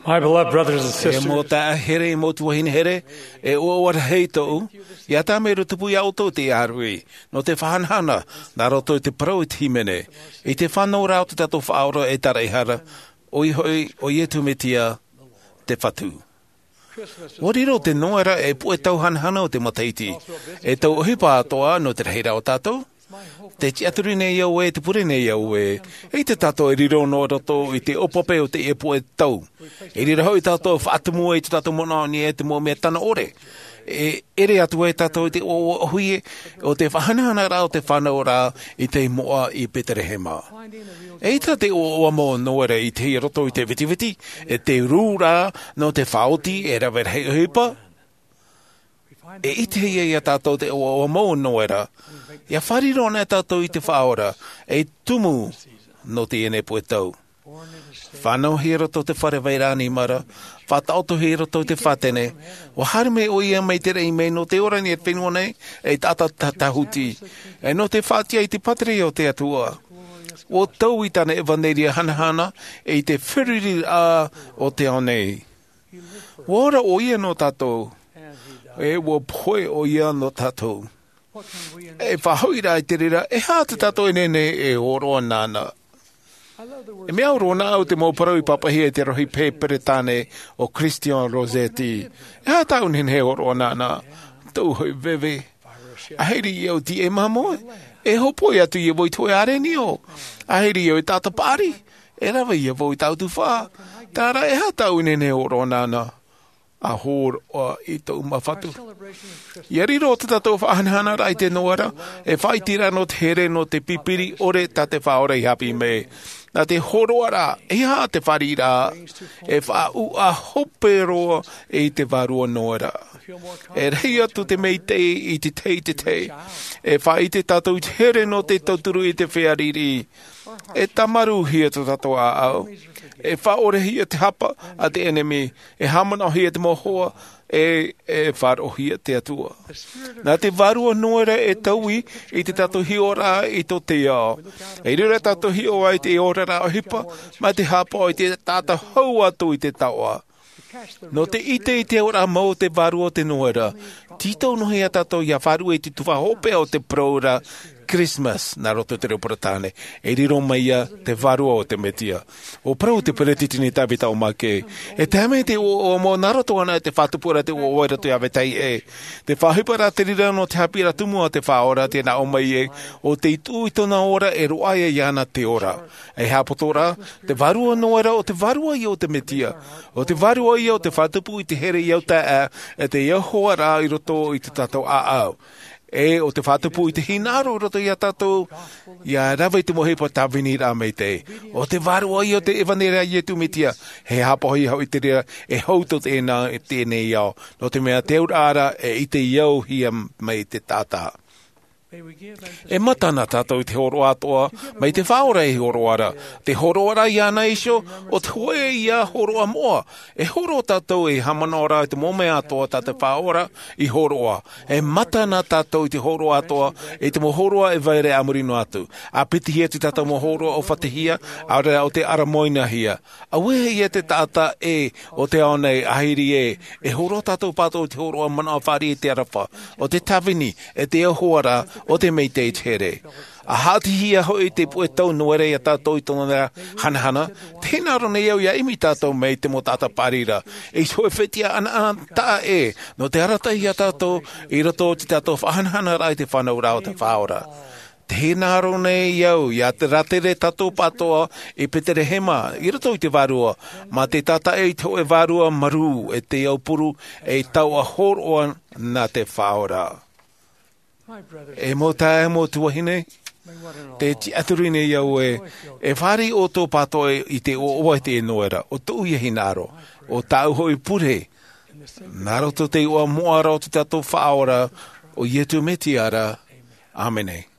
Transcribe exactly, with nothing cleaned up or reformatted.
My beloved brothers and sisters, e mau taeaʻe here, e mau tuahine here, e ʻoaʻoa rahi tōʻu, ʻia tāmau tupu iā ʻoutou te ʻāruʻi, nō te faʻahanahana, nā roto i te parau i te hīmene, i te fānauraʻa o te tātou Faʻaora e taraʻehara, ʻoia hoʻi, ʻo Iesu Mesia, te Fatu. ʻUa riro te Noera ei puʻe tau hanahana o te matahiti, ei tau ʻohipa atoʻa nō te rahiraʻa o tātou. Tē tiʻaturi nei au ē, tē pure nei au ē, ʻeita tātou e riro noa roto i te ʻōpape o teie puʻe tau. I reira hoʻi tātou e faʻatumu i tō tātou manaʻo i niʻa i te mau mea tano ʻore. E ʻere atu ai tātou i te ʻoaʻoa ʻōhie o te faʻahanahana ra o te fānauraʻa i te moʻa i Betelehema. ʻEita te ʻoaʻoa mau o Noera i ʻitehia i roto i te vetiveti, e te rū ra nō te faʻaoti e rave rahi ʻohipa. E ʻitehia iā tātou te ʻoaʻoa mau o Noera, ʻia fārerei anaʻe tātou i te Faʻaora, ei tumu nō teie nei puʻe tau. Fānauhia i roto i te fare vairaʻa nima ra, faʻataʻotohia i roto i te fātene, ʻua haere mai ʻoia mai te raʻi mai nō te ora i niʻa i te fenua nei, ei taʻata tāhuti, e nō te faʻatiʻa i te pātireia o te Atua. ʻUa tau i tāna ʻevaneria hanahana, i te feruriraʻa o te ao nei. ʻUa ora ʻoia nō tātou, e ʻua pohe ʻoia nō tātou. E faʻahoʻi rā i te reira, e aha tā tātou e nehenehe e hōroʻa nāna? E mea au roa nā ʻu te mau parau i pāpaʻihia e te rohi Peretāne ʻo Christian Rossetti. E aha tāʻu nehenehe e hōroʻa nāna? Tōʻu hoʻi veve. ʻAhiri au i tīaʻi māmoe, e hōpoi atu ia vau i te hōʻē ʻārenio. ʻAhiri au i te taʻata paʻari, e rave ia vau i tāʻu tufaʻa. Terā rā, e aha tāʻu nehenehe e hōroʻa nāna? ʻA hōroʻa i tōʻu mau Fatu. ʻIa riro tā tātou faʻahanahanaraʻa i te Noera, e faʻaʻiteraʻa nō te here nō te pipiri ʻore tā te Faʻaora i haʻapiʻi mai. Nā te hōroʻaraʻa, e aha te fāriʻiraʻa, e faʻauaʻa hope roa i te vārua Noera. E rahi atu te maitaʻi i te tahi i te tahi. E faʻaʻite tātou i te here nō te tauturu i te feiā riʻiriʻi. E tāmarūhia tō tātou ʻāʻau. E faʻaʻorehia te hapa a te ʻenemi. E haʻamanaʻohia te mau hoa. E, e faʻaroʻohia te Atua. Nā te vārua Noera e taui i tā tātou hiʻoraʻa i tō te ao. I reira tātou hiʻo ai i te oraraʻa ʻohipa, mai te haʻapaʻo i te taʻata hau atu i te taoʻa. Nō te ʻite i te auraʻa mau o te vārua o te Noera, tītau noa iā tātou ʻia faʻaruʻe i te tuhaʻa hopeʻa o te parau ra Christmas, nā roto i te reo Peretāne, e riro mai ia te vārua o te Mesia. ʻUa parau te Peretiteni Tavita O. Mackay, e tae mai te ʻoaʻoa mau nā roto anaʻe i te faʻatupuraʻa te ʻoaʻoa i roto iā vetahi ʻē. Te faʻaʻohiparaʻa te reira nō te haʻapiʻiraʻa tumu a te Faʻaora, tē nā ʻō mai ē, ʻo tei tuʻu i tōna ora e roaʻa iāna te ora. E haʻapoto ra, te vārua Noera ʻo te vārua ïa o te Mesia. ʻO te vārua ïa ʻo te faʻatupu i te here i au taeaʻe, e te Iehova ra i roto i tō tātou ʻāʻau. E ʻo te faʻatupu i te hinaʻaro i roto iā tātou, ʻia rave i te mau ʻohipa tāviniraʻa maitaʻi. ʻO te vārua ïa ʻo te ʻevaneria a Iesu Mesia, e haʻapaʻohia hoʻi te reira, e hou tō teie nei ao. Nō te mea te auraʻa ra, e ʻite iauhia mai te taʻata. E mata na tātou i te hōroʻa atoʻa, mai te Faʻaora ei hōroʻa ra. Te hōroʻa ra iāna iho, ʻo te hōʻē ïa hōroʻa moʻa. E hōroʻa tātou ei haʻamanaʻo ra i te mau mea atoʻa tā te Faʻaora i hōroʻa. E mata na tātou i te hōroʻa atoʻa, i te mau hōroʻa e vai ra a muri noa atu. ʻA piti atu i tā tātou mau hōroʻa ʻōfatihia, ʻaore rā ʻo tē ʻaramoinahia. Auē ïa te taʻata ʻē o te ao nei, ʻahiri ē, e hōroʻa tātou pātoʻi i te hōroʻa manaʻo fāriʻi i te aroha, ʻo te tāvini, e te Iehova ra, ʻo te maitaʻi i te here. ʻA haʻatihia hoʻi te puʻe tau Noera iā tātou i tōna hanahana, tē hinaʻaro nei au ʻia ʻimi tātou mai te mau taʻata paʻari ra, ei hōʻē fetiʻa ʻanaʻanataʻa ē, nō te arataʻi iā tātou, i roto i tō tātou faʻahanahanaraʻa i te fānauraʻa o te Faʻaora. Tē hinaʻaro nei au ʻia rātere tātou pātoʻa i Betelehema, i roto i te vārua, mā te tātaʻi i te hōʻē vārua marū, e te aupuru, ei taoʻa hōroʻa nā te Faʻaora. E mau taeaʻe, mau tuahine, tē tiʻaturi nei au ē, e fāriʻi ʻoutou pātoʻi i te ʻoaʻoa i te Noera, ʻo tōʻu ïa hinaʻaro, ʻo tāʻu hoʻi pure, nā roto i te iʻoa moʻa ra o tō tātou Faʻaora, ʻo Iesu Mesia ra. ʻĀmene.